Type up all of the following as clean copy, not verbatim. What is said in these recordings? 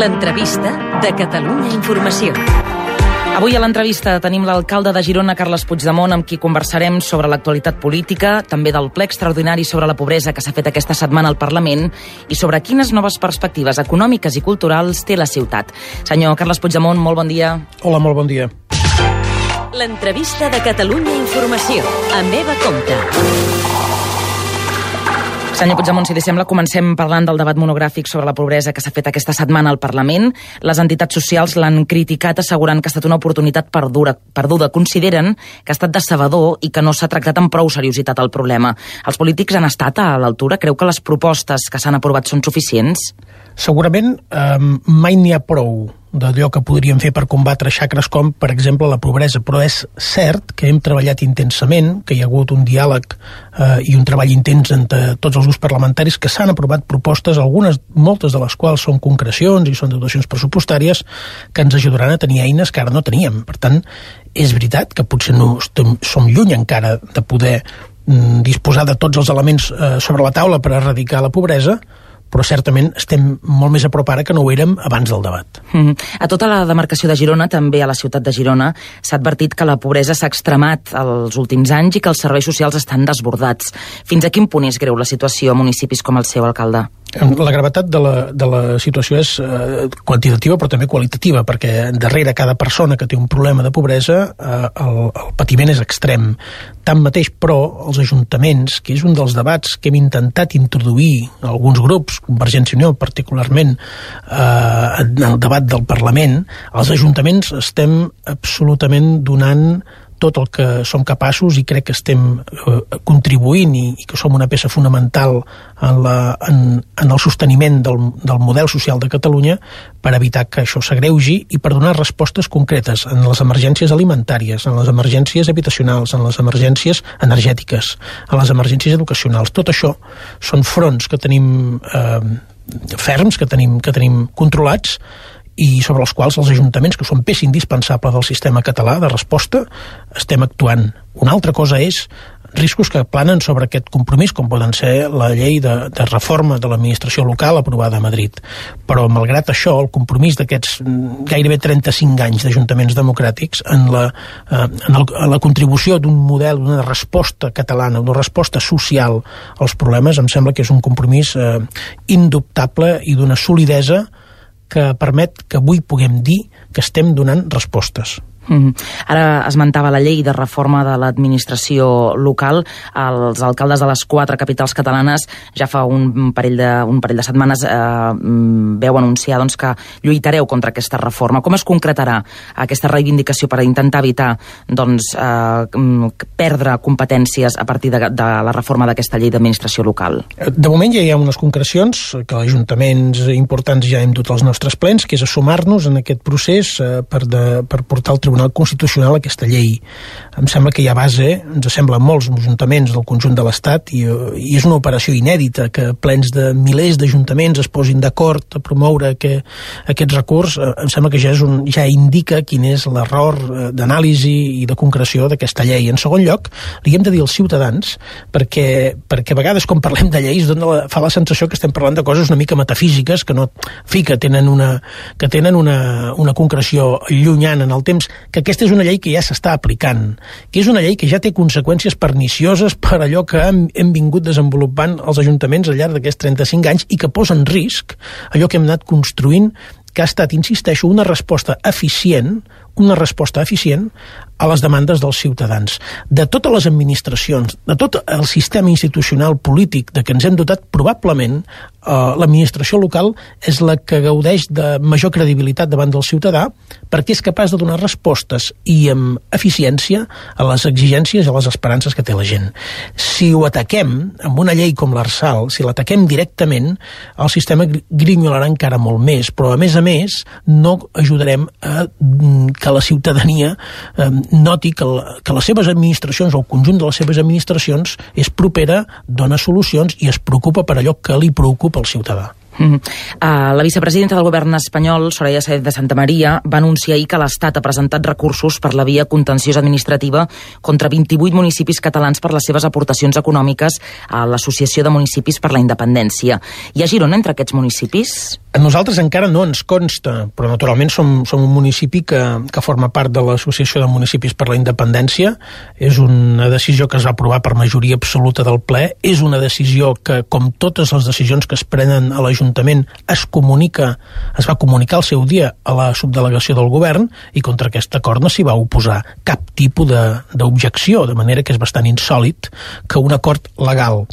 L'entrevista de Catalunya Informació. Avui a l'entrevista tenim l'alcalde de Girona, Carles Puigdemont, amb qui conversarem sobre l'actualitat política, també del ple extraordinari sobre la pobresa que s'ha fet aquesta setmana al Parlament i sobre quines noves perspectives econòmiques i culturals té la ciutat. Senyor Carles Puigdemont, molt bon dia. Hola, molt bon dia. L'entrevista de Catalunya Informació, amb Eva Compte. Senyor Puigdemont, si li sembla, comencem parlant del debat monogràfic sobre la pobresa que s'ha fet aquesta setmana al Parlament. Les entitats socials l'han criticat assegurant que ha estat una oportunitat perduda. Consideren que ha estat decebedor i que no s'ha tractat amb prou seriositat el problema. Els polítics han estat a l'altura? Creu que les propostes que s'han aprovat són suficients? Segurament mai n'hi ha prou d'allò que podríem fer per combatre xacres com, per exemple, la pobresa, però és cert que hem treballat intensament, que hi ha hagut un diàleg i un treball intens entre tots els grups parlamentaris, que s'han aprovat propostes, moltes de les quals són concrecions i són dotacions pressupostàries que ens ajudaran a tenir eines que ara no teníem. Per tant, és veritat que potser no som lluny encara de poder disposar de tots els elements sobre la taula per erradicar la pobresa, però certament estem molt més a prop ara que no ho érem abans del debat. A tota la demarcació de Girona, també a la ciutat de Girona, s'ha advertit que la pobresa s'ha extremat els últims anys i que els serveis socials estan desbordats. Fins a quin punt és greu la situació a municipis com el seu, alcalde? La gravetat de la situació és quantitativa però també qualitativa, perquè darrere cada persona que té un problema de pobresa el patiment és extrem. Tanmateix, però, els ajuntaments, que és un dels debats que hem intentat introduir alguns grups, Convergència i Unió particularment, en el debat del Parlament, els ajuntaments estem absolutament donant tot el que som capaços i crec que estem contribuint i que som una peça fonamental en el sosteniment del model social de Catalunya per evitar que això s'agreugi i per donar respostes concretes en les emergències alimentàries, en les emergències habitacionals, en les emergències energètiques, en les emergències educacionals. Tot això són fronts que tenim ferms, que tenim controlats i sobre els quals els ajuntaments, que són peça indispensable del sistema català de resposta, estem actuant. Una altra cosa és riscos que planen sobre aquest compromís, com poden ser la llei de reforma de l'administració local aprovada a Madrid. Però, malgrat això, el compromís d'aquests gairebé 35 anys d'ajuntaments democràtics en la contribució d'un model, d'una resposta catalana, d'una resposta social als problemes, em sembla que és un compromís indubtable i d'una solidesa que permet que avui puguem dir que estem donant respostes. Ara esmentava la llei de reforma de l'administració local. Els alcaldes de les 4 capitals catalanes ja fa un parell de setmanes veu anunciar que lluitareu contra aquesta reforma. Com es concretarà aquesta reivindicació per intentar evitar perdre competències a partir de la reforma d'aquesta llei d'administració local? De moment ja hi ha unes concrecions que els ajuntaments importants ja hem dut als nostres plens, que és a sumar-nos en aquest procés per portar al Tribunal Constitucional aquesta llei. Em sembla que hi ha base, ens sembla molts ajuntaments del conjunt de l'Estat i és una operació inèdita que plens de milers d'ajuntaments es posin d'acord a promoure aquest recurs. Em sembla que ja indica quin és l'error d'anàlisi i de concreció d'aquesta llei. En segon lloc, li hem de dir als ciutadans perquè a vegades quan parlem de lleis fa la sensació que estem parlant de coses una mica metafísiques que tenen una concreció llunyana en el temps, que aquesta és una llei que ja s'està aplicant, que és una llei que ja té conseqüències pernicioses per allò que hem vingut desenvolupant els ajuntaments al llarg d'aquests 35 anys i que posa en risc allò que hem anat construint, que ha estat, insisteixo, una resposta eficient a les demandes dels ciutadans. De totes les administracions, de tot el sistema institucional polític de què ens hem dotat, probablement l'administració local és la que gaudeix de major credibilitat davant del ciutadà perquè és capaç de donar respostes i amb eficiència a les exigències i a les esperances que té la gent. Si ho ataquem amb una llei com l'Arsal, si l'ataquem directament, el sistema grinyolarà encara molt més, però a més no ajudarem a que la ciutadania noti que les seves administracions o el conjunt de les seves administracions és propera, dona solucions i es preocupa per allò que li preocupa al ciutadà. La vicepresidenta del govern espanyol, Soraya Sáenz de Santamaría, va anunciar ahir que l'Estat ha presentat recursos per la via contenciosa administrativa contra 28 municipis catalans per les seves aportacions econòmiques a l'Associació de Municipis per la Independència. Hi ha Girona entre aquests municipis? A nosaltres encara no ens consta, però naturalment som un municipi que forma part de l'Associació de Municipis per la Independència. És una decisió que es va aprovar per majoria absoluta del ple. És una decisió que, com totes les decisions que es prenen a l'Ajuntament, es va comunicar al seu dia a la subdelegació del govern, i contra aquest acord no s'hi va oposar cap tipus d'objecció, de manera que és bastant insòlit que un acord legal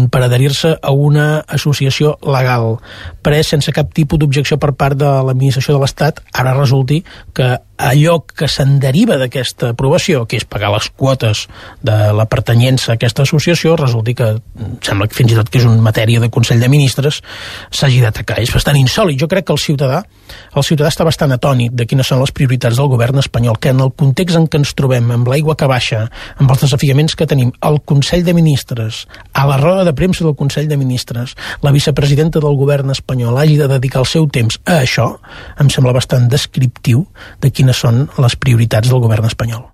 per adherir-se a una associació legal pres sense cap tipus d'objecció per part de l'administració de l'Estat, ara resulti que allò que se'n deriva d'aquesta aprovació, que és pagar les quotes de la pertanyença a aquesta associació, resulti que sembla que fins i tot que és una matèria de Consell de Ministres, s'hagi d'atacar. És bastant insòlit. Jo crec que el ciutadà està bastant atònit de quines són les prioritats del govern espanyol, que en el context en què ens trobem, amb l'aigua que baixa, amb els desafiaments que tenim, al Consell de Ministres, a la roda de premsa del Consell de Ministres, la vicepresidenta del govern espanyol hagi de dedicar el seu temps a això, em sembla bastant descriptiu de quines són les prioritats del govern espanyol.